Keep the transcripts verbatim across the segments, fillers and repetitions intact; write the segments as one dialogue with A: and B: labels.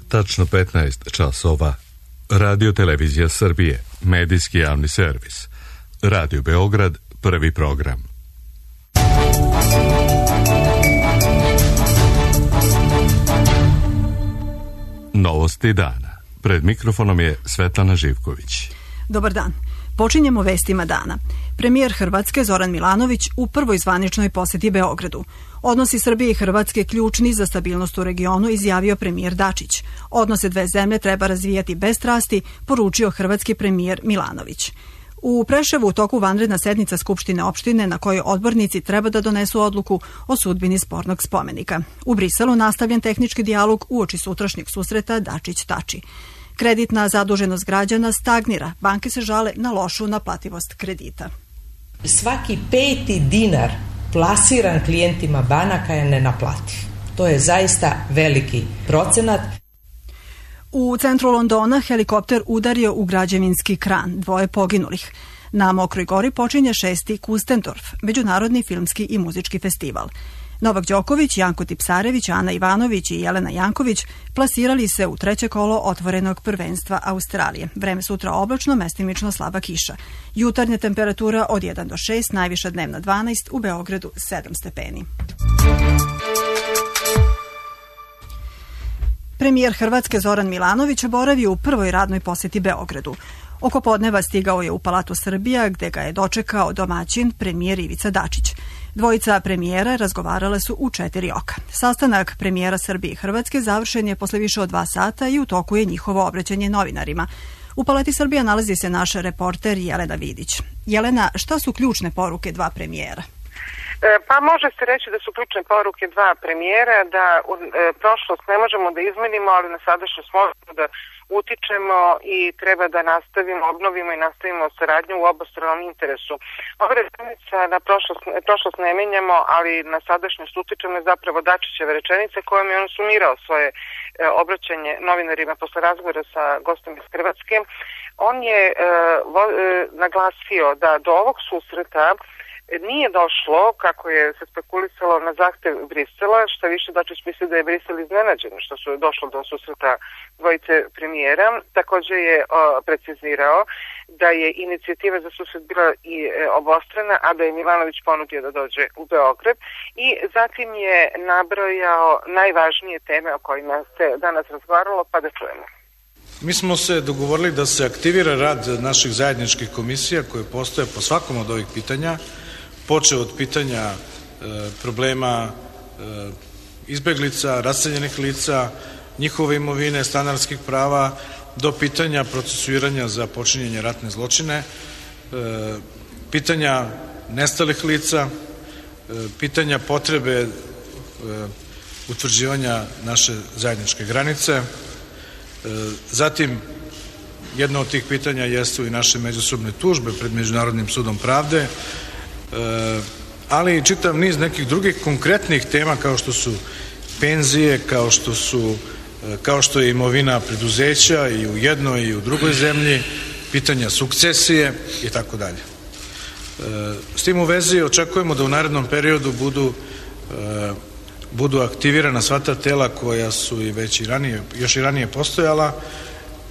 A: tačno petnaest časova. Radio Televizija Srbije, medijski javni servis. Radio Beograd, prvi program. Novosti dana. Pred mikrofonom je Svetlana Živković.
B: Dobar dan. Počinjemo vestima dana. Premijer Hrvatske Zoran Milanović u prvoj zvaničnoj poseti Beogradu. Odnosi Srbije i Hrvatske ključni za stabilnost u regionu, izjavio premijer Dačić. Odnose dve zemlje treba razvijati bez strasti, poručio hrvatski premijer Milanović. U Preševu u toku vanredna sednica Skupštine opštine na kojoj odbornici treba da donesu odluku o sudbini spornog spomenika. U Briselu nastavljen tehnički dijalog uoči sutrašnjeg susreta Dačić-Tači. Kreditna zaduženost građana stagnira. Banke se žale na lošu naplativost kredita.
C: Svaki peti dinar plasiran klijentima banaka je nenaplativ. To je zaista veliki procenat.
B: U centru Londona helikopter udario u građevinski kran, dvoje poginulih. Na Mokroj gori počinje šesti Kustendorf, međunarodni filmski i muzički festival. Novak Đoković, Janko Tipsarević, Ana Ivanović i Jelena Janković plasirali se u treće kolo otvorenog prvenstva Australije. Vreme sutra oblačno, mestimično slaba kiša. Jutarnja temperatura od jedan do šest, najviša dnevna dvanaest, u Beogradu sedam stepeni. Premijer Hrvatske Zoran Milanović boravio u prvoj radnoj poseti Beogradu. Oko podneva stigao je u Palatu Srbija, gde ga je dočekao domaćin premijer Ivica Dačić. Dvojica premijera razgovarale su u četiri oka. Sastanak premijera Srbije i Hrvatske završen je posle više od dva sata i u toku je njihovo obraćanje novinarima. U Palati Srbija nalazi se naš reporter Jelena Vidić. Jelena, šta su ključne poruke dva premijera?
D: Pa može se reći da su ključne poruke dva premijera, da u e, prošlost ne možemo da izmenimo, ali na sadašnjost možemo da utičemo i treba da nastavimo, obnovimo i nastavimo saradnju u obostranom interesu. Ova rečenica na prošlost, prošlost ne menjamo, ali na sadašnjost utičemo je zapravo Dačićeva rečenica kojom je on sumirao svoje e, obraćanje novinarima posle razgovora sa gostom iz Hrvatske. On je e, vo, e, naglasio da do ovog susreta nije došlo, kako je se spekulisalo, na zahtev Brisela, što više Dačić misli da je Brisel iznenađen što su došlo do susreta dvojice premijera. Također je o, precizirao da je inicijativa za susret bila i e, obostrana, a da je Milanović ponudio da dođe u Beograd, i zatim je nabrojao najvažnije teme o kojima se danas razgovaralo, pa da čujemo.
E: Mi smo se dogovorili da se aktivira rad naših zajedničkih komisija koje postoje po svakom od ovih pitanja, počeo od pitanja e, problema e, izbeglica, raseljenih lica, njihove imovine, stanarskih prava, do pitanja procesuiranja za počinjenje ratne zločine, e, pitanja nestalih lica, e, pitanja potrebe e, utvrđivanja naše zajedničke granice. E, zatim, jedno od tih pitanja jesu i naše međusobne tužbe pred Međunarodnim sudom pravde, E, ali i čitav niz nekih drugih konkretnih tema kao što su penzije, kao što su kao što je imovina preduzeća i u jednoj i u drugoj zemlji, pitanja sukcesije i tako dalje. S tim u vezi očekujemo da u narednom periodu budu e, budu aktivirana sva ta tela koja su i već i ranije, još i ranije postojala,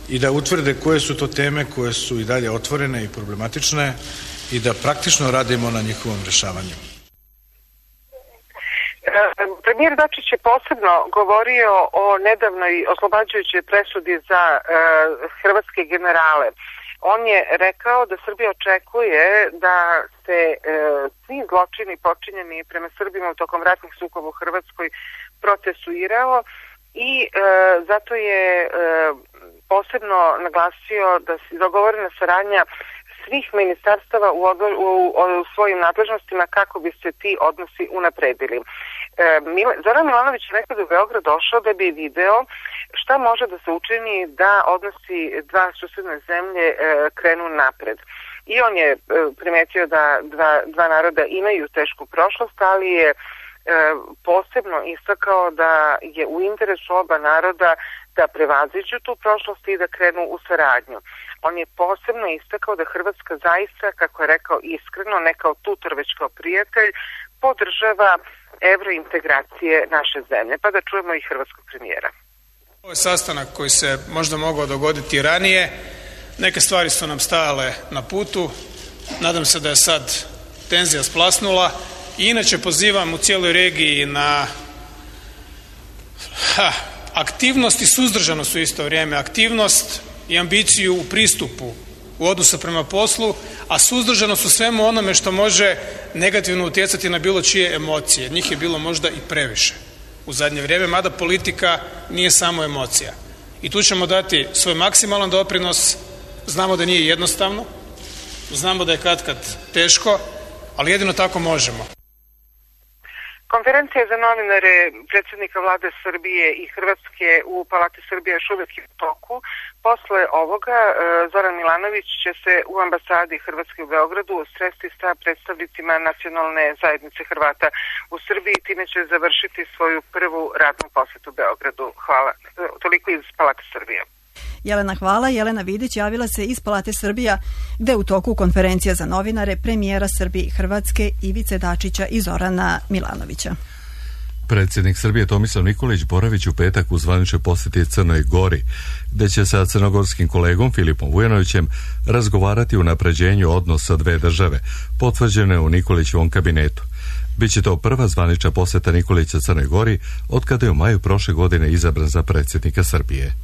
E: i da utvrde koje su to teme koje su i dalje otvorene i problematične i da praktično radimo na njihovom rešavanju.
D: Premijer Dačić je posebno govorio o nedavnoj oslobađajućoj presudi za e, hrvatske generale. On je rekao da Srbija očekuje da se e, svi zločini počinjeni prema Srbima u tokom ratnih sukoba u Hrvatskoj procesuirao, i e, zato je e, posebno naglasio da se dogovorena saradnja svih ministarstava u, odlo, u, u svojim nadležnostima kako bi se ti odnosi unapredili. E, Mil, Zoran Milanović je rekao da je u Beograd došao da bi video šta može da se učini da odnosi dva susedne zemlje e, krenu napred. I on je e, primetio da dva, dva naroda imaju tešku prošlost, ali je e, posebno istakao da je u interesu oba naroda da prevaziđu tu prošlost i da krenu u saradnju. On je posebno istakao da Hrvatska zaista, kako je rekao iskreno, ne kao tutor već kao prijatelj, podržava evrointegracije naše zemlje. Pa da čujemo i hrvatskog premijera.
F: Ovo je sastanak koji se možda mogao dogoditi ranije. Neke stvari su nam stajale na putu. Nadam se da je sad tenzija splasnula. I inače pozivam u cijeloj regiji na ha, aktivnost i suzdržanost u isto vrijeme. Aktivnost i ambiciju u pristupu u odnosu prema poslu, a suzdržanost u svemu onome što može negativno utjecati na bilo čije emocije. Njih je bilo možda i previše u zadnje vrijeme, mada politika nije samo emocija. I tu ćemo dati svoj maksimalan doprinos. Znamo da nije jednostavno, znamo da je katkad teško, ali jedino tako možemo.
D: Konferencija za novinare predsjednika vlade Srbije i Hrvatske u Palati Srbije još uvijek je u toku. Posle ovoga Zoran Milanović će se u ambasadi Hrvatske u Beogradu sresti sa predstavnicima nacionalne zajednice Hrvata u Srbiji, time će završiti svoju prvu radnu posjetu Beogradu. Hvala. Toliko iz Palate Srbije.
B: Jelena, hvala. Jelena Vidić javila se iz Palate Srbija, gde je u toku konferencija za novinare premijera Srbije i Hrvatske Ivice Dačića i Zorana Milanovića.
A: Predsjednik Srbije Tomislav Nikolić boravić u petak u zvaničnoj posjeti Crnoj Gori, gde će sa crnogorskim kolegom Filipom Vujanovićem razgovarati o unapređenju odnosa dve države, potvrđene u Nikolićevom kabinetu. Biće to prva zvanična posjeta Nikolića Crnoj Gori od kada je u maju prošle godine izabran za predsjednika Srbije.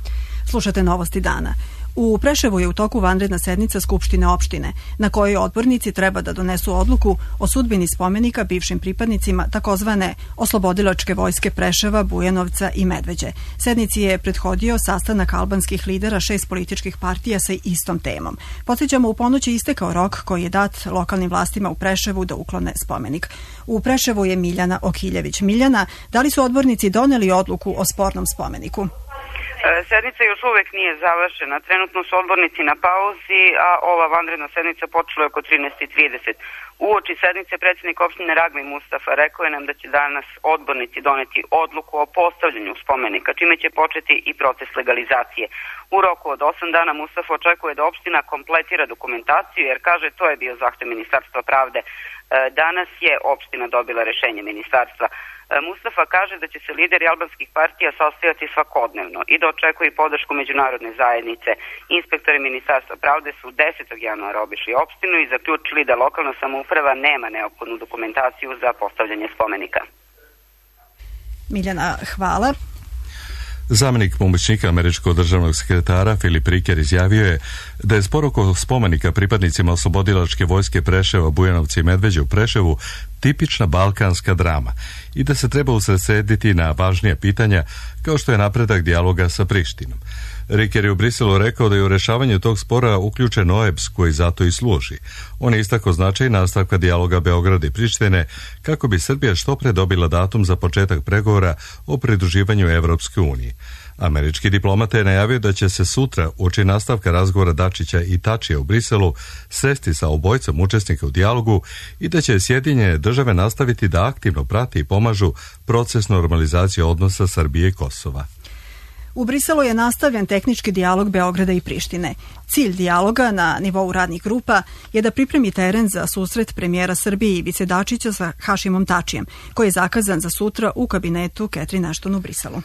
B: Slušate novosti dana. U Preševu je u toku vanredna sednica Skupštine opštine, na kojoj odbornici treba da donesu odluku o sudbini spomenika bivšim pripadnicima takozvane oslobodilačke vojske Preševa, Bujanovca i Medveđe. Sednici je prethodio sastanak albanskih lidera šest političkih partija sa istom temom. Podsjećamo, u ponoć je istekao rok koji je dat lokalnim vlastima u Preševu da uklone spomenik. U Preševu je Miljana Okiljević. Miljana, da li su odbornici doneli odluku o spornom spomeniku?
G: Sednica još uvek nije završena. Trenutno su odbornici na pauzi, a ova vanredna sednica počela je oko trinaest i trideset. Uoči sednice predsjednik opštine Ragmi Mustafa rekao je nam da će danas odbornici doneti odluku o postavljanju spomenika, čime će početi i proces legalizacije. U roku od osam dana Mustafa očekuje da opština kompletira dokumentaciju, jer kaže to je bio zahtev Ministarstva pravde. Danas je opština dobila rešenje ministarstva. Mustafa kaže da će se lideri albanskih partija sastajati svakodnevno i da očekuje i podršku međunarodne zajednice. Inspektori Ministarstva pravde su desetog januara obišli opštinu i zaključili da lokalna samouprava nema neophodnu dokumentaciju za postavljanje spomenika.
B: Miljana, hvala.
A: Zamenik pomoćnika američkog državnog sekretara Filip Riker izjavio je da je spor oko spomenika pripadnicima oslobodilačke vojske Preševa, Bujanovca i Medveđe u Preševu tipična balkanska drama i da se treba usredsrediti na važnija pitanja kao što je napredak dijaloga sa Prištinom. Riker je u Briselu rekao da je u rešavanju tog spora uključen O E B S koji zato i služi. On je istakao značaj nastavka dijaloga Beograda i Prištine kako bi Srbija što pre dobila datum za početak pregovora o pridruživanju Evropskoj uniji. Američki diplomata je najavio da će se sutra, uoči nastavka razgovora Dačića i Tačija u Briselu, sresti sa obojicom učesnika u dijalogu i da će Sjedinjene države nastaviti da aktivno prati i pomažu proces normalizacije odnosa Srbije i Kosova.
B: U Briselu je nastavljen tehnički dijalog Beograda i Prištine. Cilj dijaloga na nivou radnih grupa je da pripremi teren za susret premijera Srbije Ivice Dačića sa Hašimom Tačijem, koji je zakazan za sutra u kabinetu Catherine Ashton u Briselu.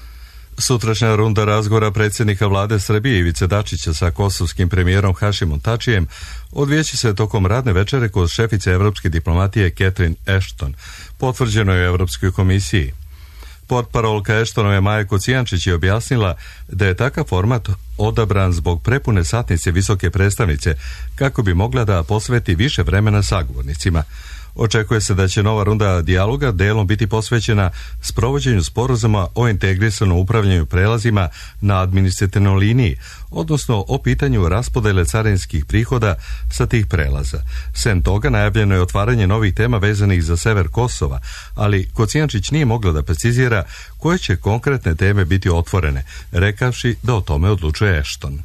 A: Sutrašnja runda razgovora predsjednika vlade Srbije Ivice Dačića sa kosovskim premijerom Hašimom Tačijem odvijeće se tokom radne večere kod šefice evropske diplomatije Catherine Ashton, potvrđeno je u Evropskoj komisiji. Portparolka Ashtonove Maja Kocijančić je objasnila da je takav format odabran zbog prepune satnice visoke predstavnice kako bi mogla da posveti više vremena sagovornicima. Očekuje se da će nova runda dijaloga delom biti posvećena sprovođenju sporazuma o integrisanom upravljanju prelazima na administrativnoj liniji, odnosno o pitanju raspodele carinskih prihoda sa tih prelaza. Sem toga najavljeno je otvaranje novih tema vezanih za sever Kosova, ali Kocijančić nije mogla da precizira koje će konkretne teme biti otvorene, rekavši da o tome odlučuje Ashton.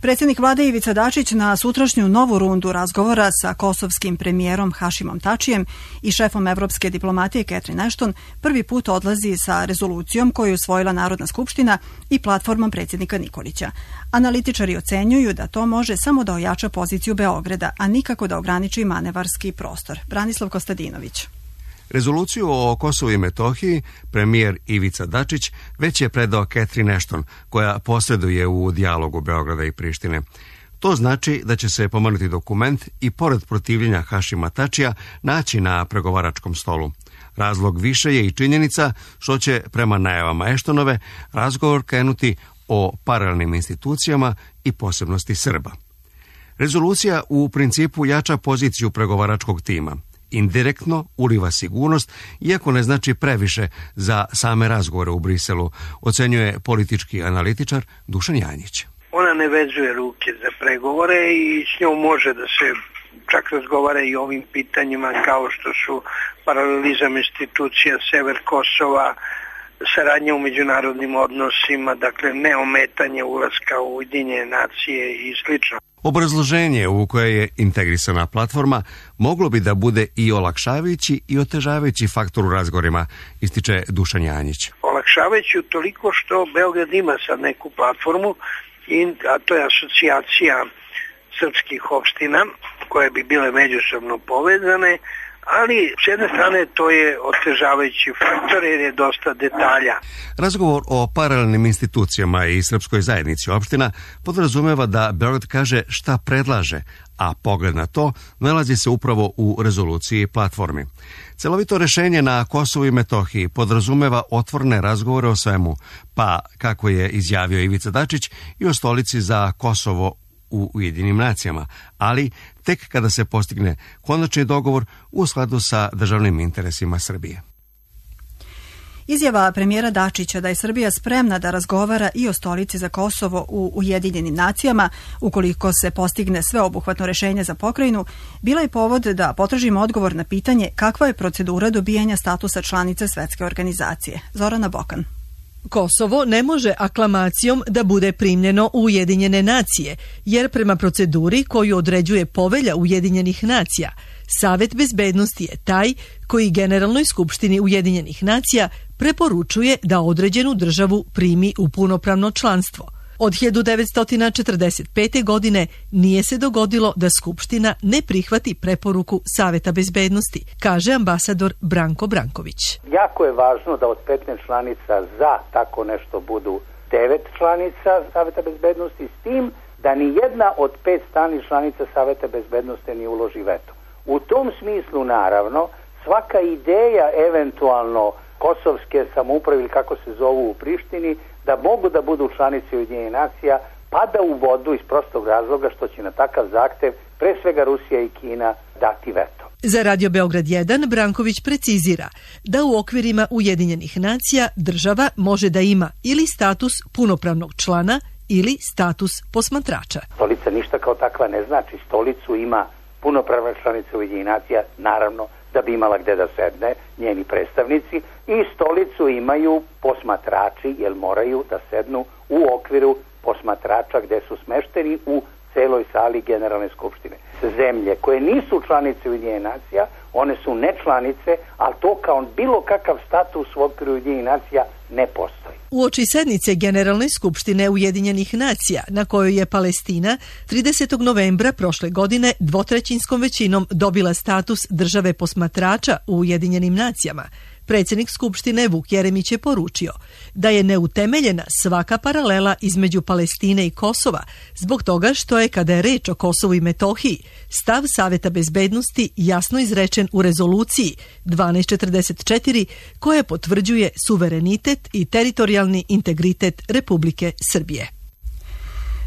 B: Predsjednik vlade Ivica Dačić na sutrašnju novu rundu razgovora sa kosovskim premijerom Hašimom Tačijem i šefom evropske diplomatije Catherine Ashton prvi put odlazi sa rezolucijom koju je usvojila Narodna skupština i platformom predsjednika Nikolića. Analitičari ocenjuju da to može samo da ojača poziciju Beograda, a nikako da ograniči manevarski prostor. Branislav Kostadinović.
H: Rezoluciju o Kosovu i Metohiji premijer Ivica Dačić već je predao Catherine Ashton, koja posreduje u dijalogu Beograda i Prištine. To znači da će se pomenuti dokument i pored protivljenja Hašima Tačija naći na pregovaračkom stolu. Razlog više je i činjenica što će, prema najavama Ashtonove, razgovor krenuti o paralelnim institucijama i posebnosti Srba. Rezolucija u principu jača poziciju pregovaračkog tima. Indirektno uliva sigurnost, iako ne znači previše za same razgovore u Briselu, ocenjuje politički analitičar Dušan Janjić.
I: Ona ne vezuje ruke za pregovore i s njom može da se čak razgovara i o ovim pitanjima kao što su paralelizam institucija, sever Kosova, saradnja u međunarodnim odnosima, dakle neometanje ulaska u Ujedinjene nacije i slično.
H: Obrazloženje u koje je integrisana platforma moglo bi da bude i olakšavajući i otežavajući faktor u razgovorima, ističe Dušan Janjić.
I: Olakšavajući toliko što Beograd ima sad neku platformu, a to je asocijacija srpskih opština koje bi bile međusobno povezane, ali s jedne strane to je otežavajući faktor jer je dosta detalja.
H: Razgovor o paralelnim institucijama i srpskoj zajednici opština podrazumeva da Beograd kaže šta predlaže, a pogled na to nalazi se upravo u rezoluciji platformi. Celovito rešenje na Kosovu i Metohiji podrazumeva otvorene razgovore o svemu, pa, kako je izjavio Ivica Dačić, i o stolici za Kosovo u Ujedinjenim nacijama, ali tek kada se postigne konačni dogovor u skladu sa državnim interesima Srbije.
B: Izjava premijera Dačića da je Srbija spremna da razgovara i o stolici za Kosovo u Ujedinjenim nacijama, ukoliko se postigne sveobuhvatno rešenje za pokrajinu, bila je povod da potražimo odgovor na pitanje kakva je procedura dobijanja statusa članice Svetske organizacije. Zorana Bokan.
J: Kosovo ne može aklamacijom da bude primljeno u Ujedinjene nacije, jer prema proceduri koju određuje Povelja Ujedinjenih nacija, Savet bezbednosti je taj koji Generalnoj skupštini Ujedinjenih nacija preporučuje da određenu državu primi u punopravno članstvo. Od hiljadu devetsto četrdeset pete. godine nije se dogodilo da Skupština ne prihvati preporuku Saveta bezbednosti, kaže ambasador Branko Branković.
K: Jako je važno da od petnaest članica za tako nešto budu devet članica Saveta bezbednosti, s tim da ni jedna od pet stalnih članica Saveta bezbednosti ne uloži veto. U tom smislu, naravno, svaka ideja eventualno kosovske samouprave ili kako se zovu u Prištini, da mogu da budu članice Ujedinjenih nacija, pada u vodu iz prostog razloga što će na takav zahtev pre svega Rusija i Kina dati veto.
J: Za Radio Beograd jedan Branković precizira da u okvirima Ujedinjenih nacija država može da ima ili status punopravnog člana ili status posmatrača.
K: Stolica ništa kao takva ne znači. Stolicu ima punopravna članica Ujedinjenih nacija, naravno da bi imala gde da sedne njeni predstavnici, i stolicu imaju posmatrači, jer moraju da sednu u okviru posmatrača gde su smešteni u celoj sali Generalne skupštine. Zemlje koje nisu članice Ujedinjenih nacija, one su nečlanice, ali to kao bilo kakav status u okviru Ujedinjenih nacija ne postoji.
J: Uoči sednice Generalne skupštine Ujedinjenih nacija, na kojoj je Palestina tridesetog novembra prošle godine dvotrećinskom većinom dobila status države posmatrača u Ujedinjenim nacijama, predsjednik Skupštine Vuk Jeremić je poručio da je neutemeljena svaka paralela između Palestine i Kosova, zbog toga što je, kada je reč o Kosovu i Metohiji, stav Saveta bezbednosti jasno izrečen u rezoluciji dvanaest četrdeset četiri, koja potvrđuje suverenitet i teritorijalni integritet Republike Srbije.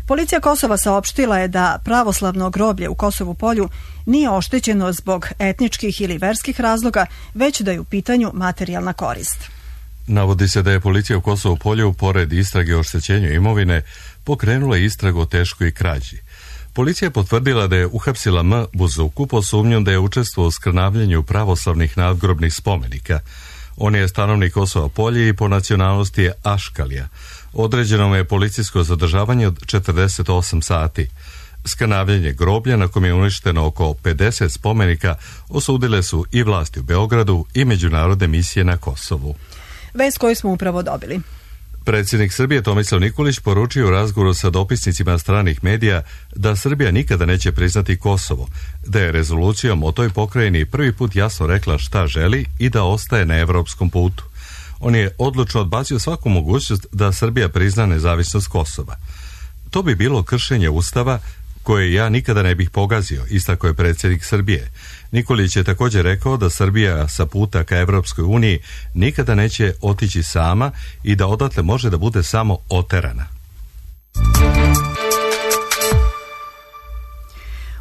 B: Policija Kosova saopštila je da pravoslavno groblje u Kosovu Polju nije oštećeno zbog etničkih ili verskih razloga, već da je u pitanju materijalna korist.
A: Navodi se da je policija u Kosovu Polju, pored istrage o oštećenju imovine, pokrenula istragu o teškoj krađi. Policija je potvrdila da je uhapsila M. Buzuku po sumnjom da je učestvovao u skrnavljenju pravoslavnih nadgrobnih spomenika. On je stanovnik Kosova Polje i po nacionalnosti je Aškalija. Određeno mu je policijsko zadržavanje od četrdeset osam sati. Skrnavljenje groblja, na kom je uništeno oko pedeset spomenika, osudile su i vlasti u Beogradu i međunarodne misije na Kosovu.
B: Vest koju smo upravo dobili.
A: Predsjednik Srbije Tomislav Nikolić poručio u razgovoru sa dopisnicima stranih medija da Srbija nikada neće priznati Kosovo, da je rezolucijom o toj pokrajini prvi put jasno rekla šta želi i da ostaje na evropskom putu. On je odlučno odbacio svaku mogućnost da Srbija prizna nezavisnost Kosova. To bi bilo kršenje Ustava koje ja nikada ne bih pogazio, istakao je predsjednik Srbije. Nikolić je također rekao da Srbija sa puta ka Evropskoj uniji nikada neće otići sama i da odatle može da bude samo oterana.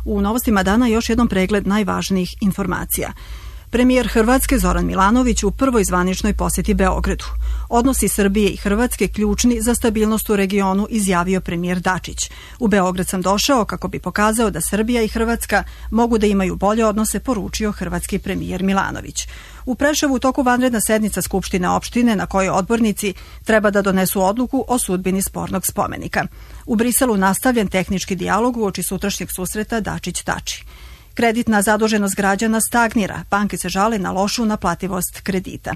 B: U novostima dana još jednom pregled najvažnijih informacija. Premijer Hrvatske Zoran Milanović u prvoj zvaničnoj posjeti Beogradu. Odnosi Srbije i Hrvatske ključni za stabilnost u regionu, izjavio premijer Dačić. U Beograd sam došao kako bi pokazao da Srbija i Hrvatska mogu da imaju bolje odnose, poručio hrvatski premijer Milanović. U Preševu u toku vanredna sednica Skupštine opštine na kojoj odbornici treba da donesu odluku o sudbini spornog spomenika. U Briselu nastavljen tehnički dijalog uoči sutrašnjeg susreta Dačić-Tači. Kreditna zaduženost građana stagnira, banke se žale na lošu naplativost kredita.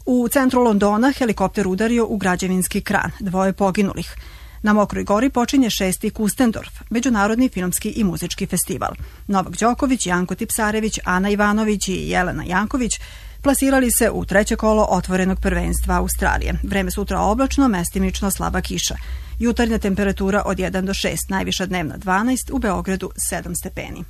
B: U centru Londona helikopter udario u građevinski kran, dvoje poginulih. Na Mokroj gori počinje šesti Kustendorf, međunarodni filmski i muzički festival. Novak Đoković, Janko Tipsarević, Ana Ivanović i Jelena Janković plasirali se u treće kolo otvorenog prvenstva Australije. Vreme sutra oblačno, mestimično slaba kiša. Jutarnja temperatura od jedan do šest, najviša dnevna dvanaest, u Beogradu sedam stepeni.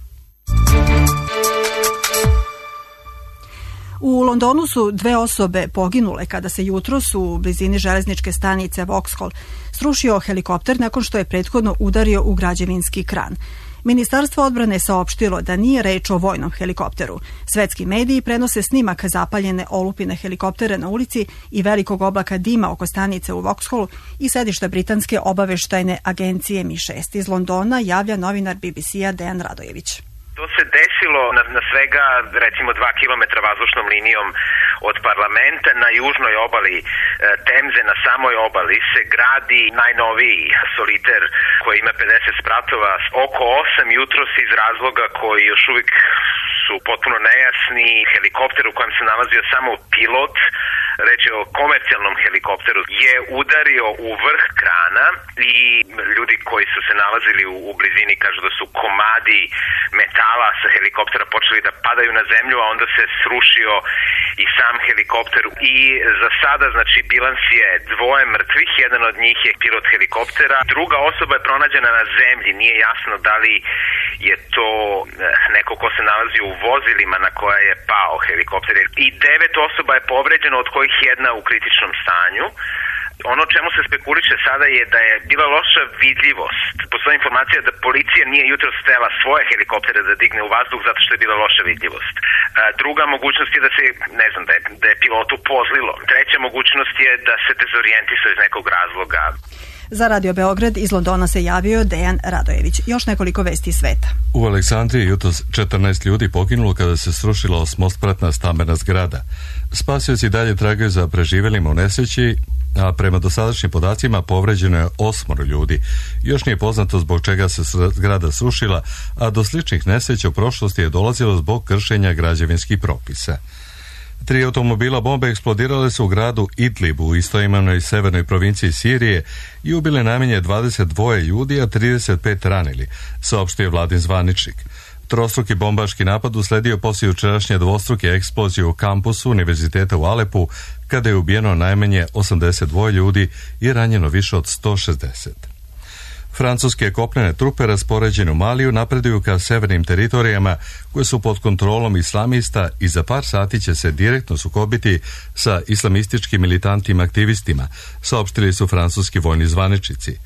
B: U Londonu su dve osobe poginule kada se jutros u blizini železničke stanice Vauxhall srušio helikopter nakon što je prethodno udario u građevinski kran. Ministarstvo odbrane saopštilo da nije reč o vojnom helikopteru. Svetski mediji prenose snimak zapaljene olupine helikoptera na ulici i velikog oblaka dima oko stanice u Vauxhallu i sedišta britanske obaveštajne agencije M I šest. Iz Londona javlja novinar B B C-a Dejan Radojević.
L: To se desilo na, na svega recimo dva kilometra vazdušnom linijom od parlamenta na južnoj obali e, Temze, na samoj obali se gradi najnoviji soliter koji ima pedeset spratova oko osam jutros iz razloga koji još uvijek su potpuno nejasni. Helikopter u kojem se nalazio samo pilot, reč je o komercijalnom helikopteru, je udario u vrh krana i ljudi koji su se nalazili u, u blizini kažu da su komadi metala sa helikoptera počeli da padaju na zemlju, a onda se srušio i sam helikopter. I za sada, znači, bilans je dvoje mrtvih, jedan od njih je pilot helikoptera, druga osoba je pronađena na zemlji, nije jasno da li je to neko ko se nalazi u vozilima na koja je pao helikopter. I devet osoba je povređeno, od kojih jedna u kritičnom stanju. Ono čemu se spekuliše sada je da je bila loša vidljivost. Postoji informacija da policija nije jutro stela svoje helikoptere da digne u vazduh zato što je bila loša vidljivost. Druga mogućnost je da se, ne znam, da je, da je pilotu pozlilo. Treća mogućnost je da se dezorijentisao iz nekog razloga.
B: Za Radio Beograd iz Londona se javio Dejan Radojević. Još nekoliko vesti sveta.
A: U Aleksandriji jutros četrnaest ljudi poginulo kada se srušila osmospratna stambena zgrada. Spasioci dalje tragaju za preživelima u nesreći, a prema dosadašnjim podacima povređeno je osmoro ljudi. Još nije poznato zbog čega se zgrada srušila, a do sličnih nesreća u prošlosti je dolazilo zbog kršenja građevinskih propisa. Tri automobila bombe eksplodirale su u gradu Idlib u istoimenoj severnoj provinciji Sirije i ubile najmanje dvadeset dva ljudi, a trideset pet ranili, saopštio vladin zvaničnik. Trostruki bombaški napad usledio poslije jučerašnje dvostruke eksplozije u kampusu Univerziteta u Alepu, kada je ubijeno najmanje osamdeset dva ljudi i ranjeno više od sto šezdeset. Francuske kopnene trupe raspoređene u Maliju napreduju ka severnim teritorijama koje su pod kontrolom islamista i za par sati će se direktno sukobiti sa islamističkim militantima aktivistima, saopštili su francuski vojni zvaničnici.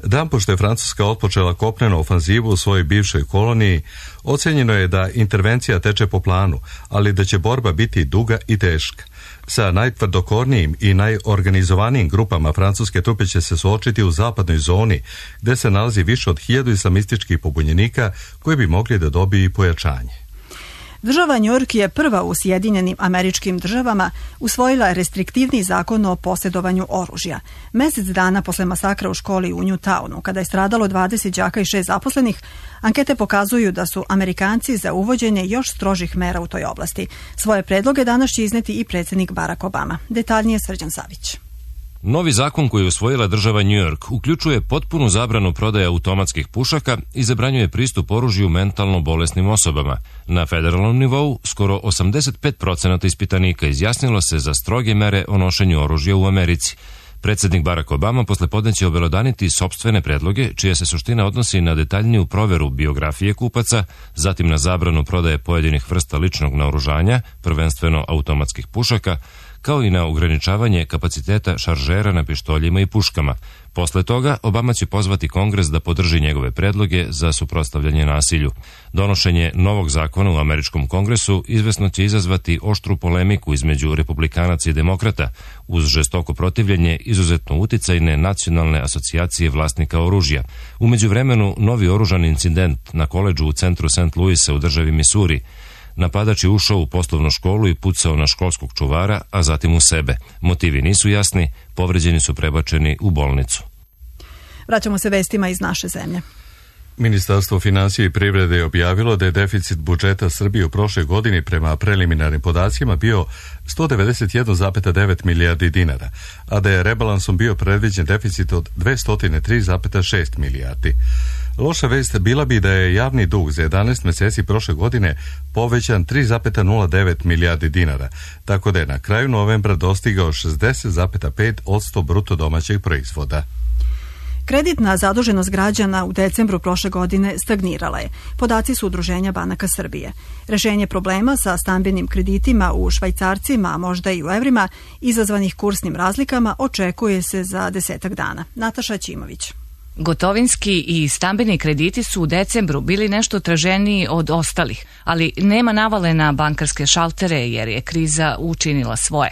A: Dan pošto je Francuska otpočela kopnenu ofanzivu u svojoj bivšoj koloniji, ocenjeno je da intervencija teče po planu, ali da će borba biti duga i teška. Sa najtvrdokornijim i najorganizovanijim grupama francuske trupe će se suočiti u zapadnoj zoni, gde se nalazi više od hiljadu islamističkih pobunjenika koji bi mogli da dobiju i pojačanje.
B: Država Njujork je prva u Sjedinjenim Američkim Državama usvojila restriktivni zakon o posjedovanju oružja. Mesec dana posle masakra u školi u Newtownu, kada je stradalo dvadeset đaka i šest zaposlenih, ankete pokazuju da su Amerikanci za uvođenje još strožih mera u toj oblasti. Svoje predloge danas će izneti i predsjednik Barack Obama. Detaljnije Srđan Savić.
M: Novi zakon koji je usvojila država New York uključuje potpunu zabranu prodaje automatskih pušaka i zabranjuje pristup oružju mentalno bolesnim osobama. Na federalnom nivou skoro osamdeset pet procenata ispitanika izjasnilo se za stroge mere o nošenju oružja u Americi. Predsjednik Barack Obama poslepodne će obelodaniti sopstvene predloge, čija se suština odnosi na detaljniju proveru biografije kupaca, zatim na zabranu prodaje pojedinih vrsta ličnog naoružanja, prvenstveno automatskih pušaka, kao i na ograničavanje kapaciteta šaržera na pištoljima i puškama. Posle toga, Obama će pozvati Kongres da podrži njegove predloge za suprotstavljanje nasilju. Donošenje novog zakona u američkom Kongresu izvesno će izazvati oštru polemiku između republikanaca i demokrata, uz žestoko protivljenje izuzetno uticajne nacionalne asocijacije vlasnika oružja. U međuvremenu, novi oružan incident na koledžu u centru Saint Louisa u državi Missouri. Napadač je ušao u poslovnu školu i pucao na školskog čuvara, a zatim u sebe. Motivi nisu jasni, povređeni su prebačeni u bolnicu.
B: Vraćamo se vestima iz naše zemlje.
A: Ministarstvo financija i privrede je objavilo da je deficit budžeta Srbije u prošloj godini prema preliminarnim podacima bio sto devedeset jedan zarez devet milijardi dinara, a da je rebalansom bio predviđen deficit od dvesta tri zarez šest milijardi. Loša vest bila bi da je javni dug za jedanaest meseci prošle godine povećan tri zarez nula devet milijardi dinara, tako da je na kraju novembra dostigao šezdeset zarez pet posto bruto domaćeg proizvoda.
B: Kreditna zaduženost građana u decembru prošle godine stagnirala je. Podaci su Udruženja banaka Srbije. Rešenje problema sa stambenim kreditima u švajcarcima, a možda i u evrima, izazvanih kursnim razlikama, očekuje se za desetak dana. Nataša Ćimović.
N: Gotovinski i stambeni krediti su u decembru bili nešto traženiji od ostalih, ali nema navale na bankarske šaltere jer je kriza učinila svoje.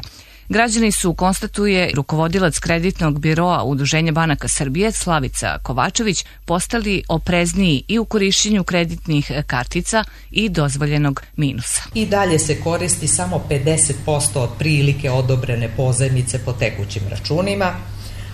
N: Građani su, konstatuje rukovodilac kreditnog biroa Udruženja banaka Srbije Slavica Kovačević, postali oprezniji i u korišćenju kreditnih kartica i dozvoljenog minusa.
C: I dalje se koristi samo pedeset posto od prilike odobrene pozajmice po tekućim računima,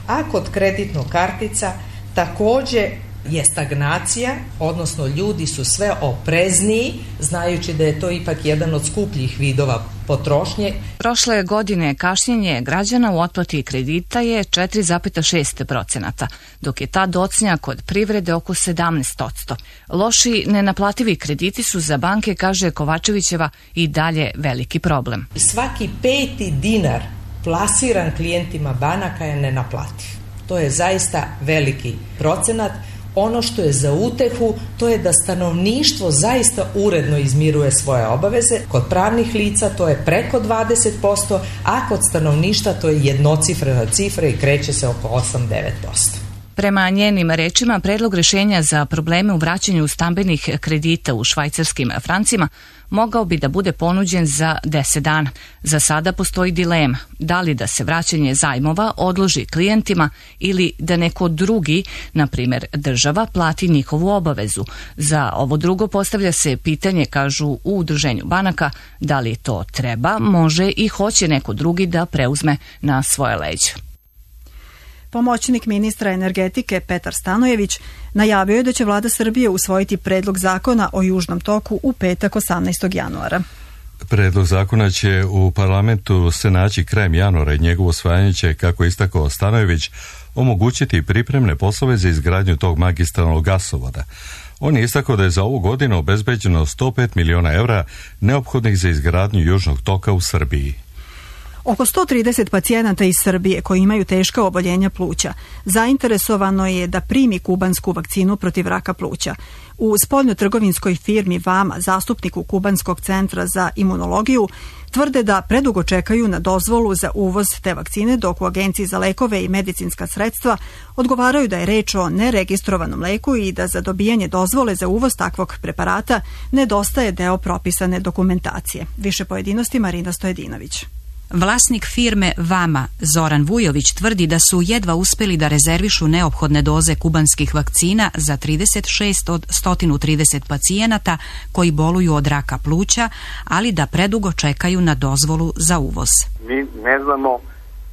C: a kod kreditnog kartica takođe je stagnacija, odnosno ljudi su sve oprezniji, znajući da je to ipak jedan od skupljih vidova potrošnje.
N: Prošle godine kašnjenje građana u otplati kredita je četiri zarez šest procenata, dok je ta docnja kod privrede oko sedamnaest posto. Loši nenaplativi krediti su za banke, kaže Kovačevićeva, i dalje veliki problem.
C: Svaki peti dinar plasiran klijentima banaka je nenaplativ. To je zaista veliki procenat. Ono što je za utehu, to je da stanovništvo zaista uredno izmiruje svoje obaveze. Kod pravnih lica to je preko dvadeset posto, a kod stanovništva to je jednocifrena cifra i kreće se oko osam do devet posto.
N: Prema njenim rečima, predlog rešenja za probleme u vraćanju stambenih kredita u švajcarskim francima mogao bi da bude ponuđen za deset dana. Za sada postoji dilema, da li da se vraćanje zajmova odloži klijentima ili da neko drugi, na primjer država, plati njihovu obavezu. Za ovo drugo postavlja se pitanje, kažu u Udruženju banaka, da li to treba, može i hoće neko drugi da preuzme na svoje leđe.
B: Pomoćnik ministra energetike Petar Stanojević najavio je da će vlada Srbije usvojiti predlog zakona o Južnom toku u petak osamnaestog januara.
A: Predlog zakona će u parlamentu se naći krajem januara i njegovo usvajanje će, kako istakao Stanojević, omogućiti pripremne poslove za izgradnju tog magistralnog gasovoda. On je istakao da je za ovu godinu obezbeđeno sto pet miliona evra neophodnih za izgradnju Južnog toka u Srbiji.
B: Oko sto trideset pacijenata iz Srbije koji imaju teška oboljenja pluća zainteresovano je da primi kubansku vakcinu protiv raka pluća. U spoljnotrgovinskoj firmi Vama, zastupniku Kubanskog centra za imunologiju, tvrde da predugo čekaju na dozvolu za uvoz te vakcine, dok u Agenciji za lekove i medicinska sredstva odgovaraju da je reč o neregistrovanom leku i da za dobijanje dozvole za uvoz takvog preparata nedostaje deo propisane dokumentacije. Više pojedinosti Marina Stojedinović.
O: Vlasnik firme Vama, Zoran Vujović, tvrdi da su jedva uspeli da rezervišu neophodne doze kubanskih vakcina za trideset šest od sto trideset pacijenata koji boluju od raka pluća, ali da predugo čekaju na dozvolu za uvoz.
P: Mi ne znamo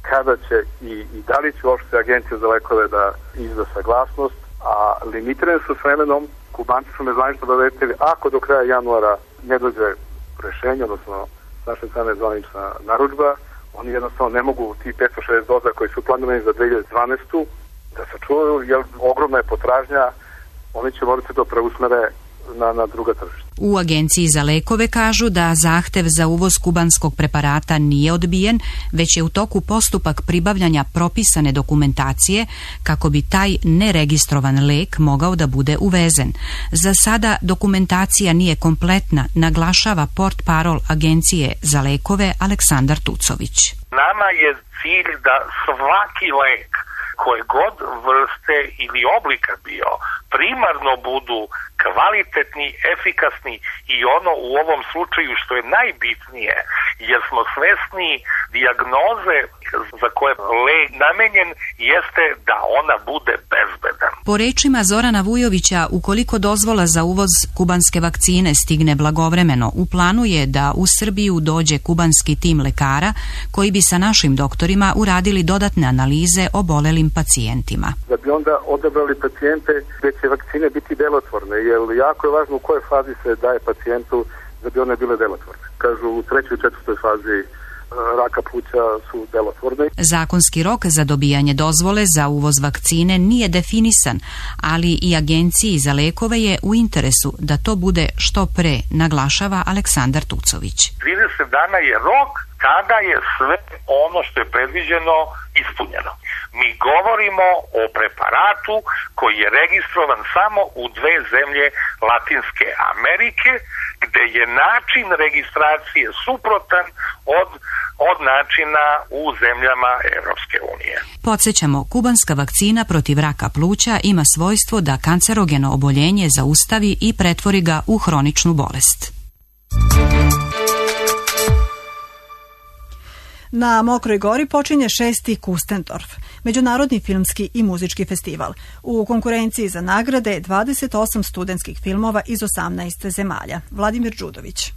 P: kada će i, i da li će uopšte Agencija za lekove da izda saglasnost, a limitirane su s vremenom. Kubanci su nezvanično obavestili, ako do kraja januara ne dođe rešenje, odnosno naše strane zvanična narudžba, oni jednostavno ne mogu ti petsto šezdeset doza koji su planirani za dve hiljade dvanaestu da sačuvaju, jer ogromna je potražnja, oni će morati to preusmere na, na druga tržišta.
O: U Agenciji za lekove kažu da zahtev za uvoz kubanskog preparata nije odbijen, već je u toku postupak pribavljanja propisane dokumentacije kako bi taj neregistrovan lek mogao da bude uvezen. Za sada dokumentacija nije kompletna, naglašava portparol Agencije za lekove Aleksandar Tucović.
Q: Nama je cilj da svaki lek koje god vrste ili oblika bio primarno budu kvalitetni, efikasni i ono u ovom slučaju što je najbitnije, jer smo svesni dijagnoze za koje lek namenjen jeste da ona bude bezbedan.
O: Po rečima Zorana Vujovića, ukoliko dozvola za uvoz kubanske vakcine stigne blagovremeno, u planu je da u Srbiju dođe kubanski tim lekara koji bi sa našim doktorima uradili dodatne analize obolelim pacijentima.
P: Da bi onda odabrali pacijente gdje će vakcine biti delotvorne, jer jako je važno u kojoj fazi se daje pacijentu da bi one bile delotvorne. Kažu u trećoj i četvrtoj fazi raka pluća su delotvorne.
O: Zakonski rok za dobijanje dozvole za uvoz vakcine nije definisan, ali i Agenciji za lekove je u interesu da to bude što pre, naglašava Aleksandar Tucović.
Q: trideset dana je rok kada je sve ono što je predviđeno ispunjeno. Mi govorimo o preparatu koji je registrovan samo u dve zemlje Latinske Amerike, gde je način registracije suprotan od, od načina u zemljama Evropske unije.
O: Podsjećamo, kubanska vakcina protiv raka pluća ima svojstvo da kancerogeno oboljenje zaustavi i pretvori ga u hroničnu bolest.
B: Na Mokroj Gori počinje šesti Kustendorf, međunarodni filmski i muzički festival. U konkurenciji za nagrade dvadeset osam studentskih filmova iz osamnaest zemalja. Vladimir Đudović.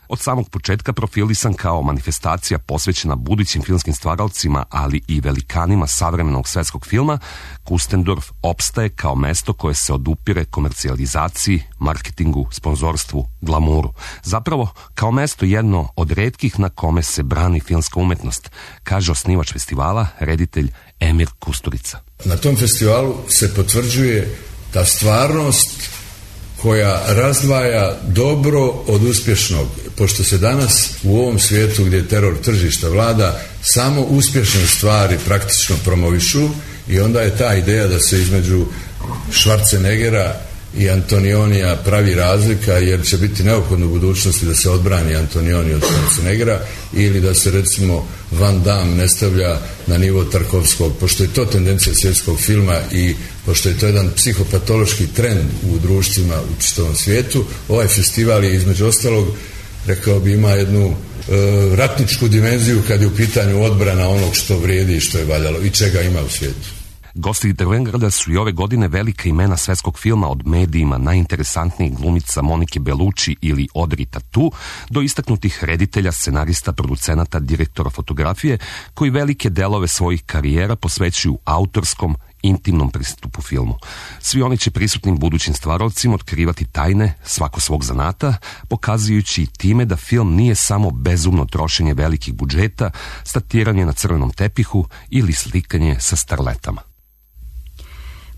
R: Od samog početka profilisan kao manifestacija posvećena budućim filmskim stvaralcima, ali i velikanima savremenog svetskog filma, Kustendorf opstaje kao mesto koje se odupire komercijalizaciji, marketingu, sponzorstvu, glamuru. Zapravo, kao mesto jedno od retkih na kome se brani filmska umetnost, kaže osnivač festivala, reditelj Emir Kusturica.
S: Na tom festivalu se potvrđuje ta stvarnost koja razdvaja dobro od uspješnog, pošto se danas u ovom svijetu gdje teror tržišta vlada, samo uspješne stvari praktično promovišu i onda je ta ideja da se između Schwarzeneggera i Antonionija pravi razlika, jer će biti neophodno u budućnosti da se odbrani Antonioni od Schwarzeneggera ili da se recimo Van Damme ne stavlja na nivo Tarkovskog, pošto je to tendencija svjetskog filma i pošto je to jedan psihopatološki trend u društvima u čitavom svijetu. Ovaj festival je između ostalog, rekao bi, ima jednu e, ratničku dimenziju kad je u pitanju odbrana onog što vrijedi i što je valjalo i čega ima u svijetu.
R: Gosti Drvengrada su i ove godine velika imena svetskog filma, od medijima najinteresantnijih glumica Monike Bellucci ili Audrey Tautou do istaknutih reditelja, scenarista, producenata, direktora fotografije koji velike delove svojih karijera posvećuju autorskom, intimnom pristupu filmu. Svi oni će prisutnim budućim stvaravcima otkrivati tajne svako svog zanata, pokazujući time da film nije samo bezumno trošenje velikih budžeta, statiranje na crvenom tepihu ili slikanje sa starletama.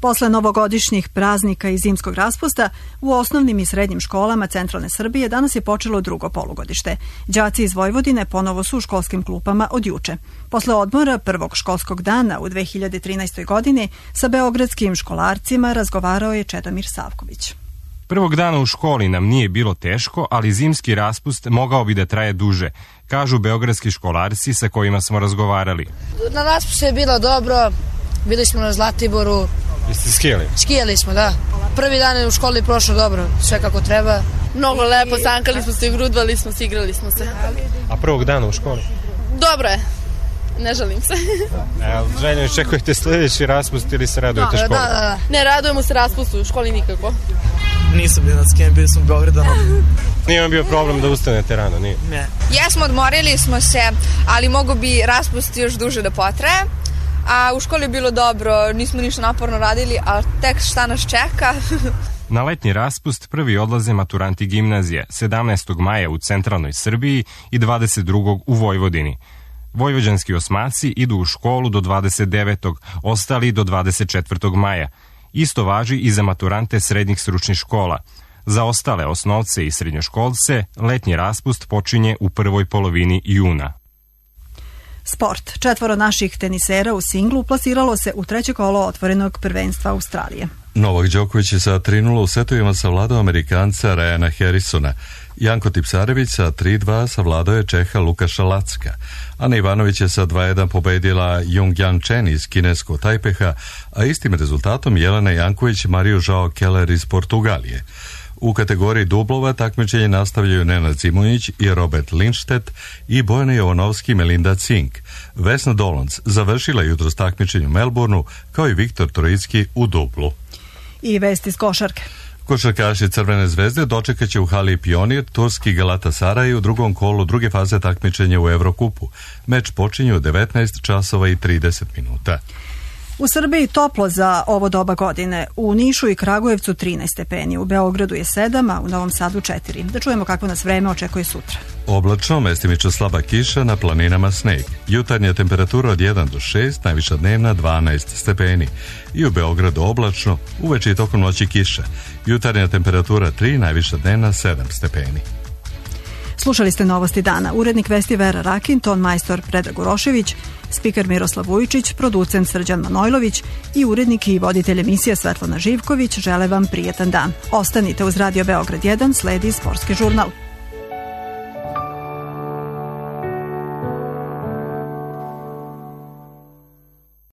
B: Posle novogodišnjih praznika i zimskog raspusta, u osnovnim i srednjim školama centralne Srbije danas je počelo drugo polugodište. Đaci iz Vojvodine ponovo su u školskim klupama od juče. Posle odmora prvog školskog dana u dve hiljade trinaestoj. godini sa beogradskim školarcima razgovarao je Čedomir Savković.
T: Prvog dana u školi nam nije bilo teško, ali zimski raspust mogao bi da traje duže, kažu beogradski školarci sa kojima smo razgovarali.
U: Na raspustu je bilo dobro, bili smo na Zlatiboru.
T: Jeste skijali?
U: Skijali smo, da. Prvi dan je u školi prošlo dobro, sve kako treba.
V: Mnogo lepo, sankali smo se, grudvali smo se, igrali smo se.
T: A prvog dana u školi?
V: Dobro je, ne žalim se.
T: E, željno, čekujete sljedeći raspust ili se radujete
V: da,
T: školi?
V: Da, da, da. Ne, radujemo se raspustu, u školi nikako.
W: Nisam bio na skijem, bio sam u Beogradanu.
T: Nije vam bio problem da ustanete rano, nije?
W: Ne.
X: Jesmo, odmorili smo se, ali mogu bi raspust još duže da potraje. A u školi je bilo dobro, nismo ništa naporno radili, a tek šta nas čeka.
T: Na letnji raspust prvi odlaze maturanti gimnazije, sedamnaestog maja u centralnoj Srbiji i dvadeset drugog u Vojvodini. Vojvođanski osmaci idu u školu do dvadeset devetog, ostali do dvadeset četvrtog maja. Isto važi i za maturante srednjih stručnih škola. Za ostale osnovce i srednjoškolce letnji raspust počinje u prvoj polovini juna.
B: Sport. Četvoro naših tenisera u singlu plasiralo se u treće kolo otvorenog prvenstva Australije.
A: Novak Đoković je sa tri nula u setovima savladao Amerikanca Ryana Harrisona. Janko Tipsarević sa tri dva savladao je Čeha Lukaša Lacka. Ana Ivanović je sa dva jedan pobedila Jung-Jan Chen iz kineskog Tajpeha, a istim rezultatom Jelena Janković Mariju Žao Keller iz Portugalije. U kategoriji dublova takmičenje nastavljaju Nenad Zimonjić i Robert Lindstedt i Bojana Jovanovski i Melinda Cink. Vesna Dolonc završila jutros takmičenje u Melbourneu, kao i Viktor Trojicki u dublu.
B: I vesti iz košarke.
A: Košarkaši Crvene zvezde dočekat će u hali Pionir turski Galatasaray u drugom kolu druge faze takmičenja u Evrokupu. Meč počinje u devetnaest časova i trideset minuta.
B: U Srbiji toplo za ovo doba godine. U Nišu i Kragujevcu trinaest stepeni, u Beogradu je sedam, a u Novom Sadu četiri. Da čujemo kako nas vreme očekuje sutra.
A: Oblačno, mestimično slaba kiša, na planinama sneg. Jutarnja temperatura od jedan do šest, najviša dnevna dvanaest stepeni. I u Beogradu oblačno, uveče i tokom noći kiša. Jutarnja temperatura tri, najviša dnevna sedam stepeni.
B: Slušali ste Novosti dana. Urednik vesti Vera Rakin, ton majstor Predrag Urošević, spiker Miroslav Vujičić, producent Srđan Manojlović i urednik i voditelj emisije Svetlana Živković žele vam prijetan dan. Ostanite uz Radio Beograd jedan, sledi sportski žurnal.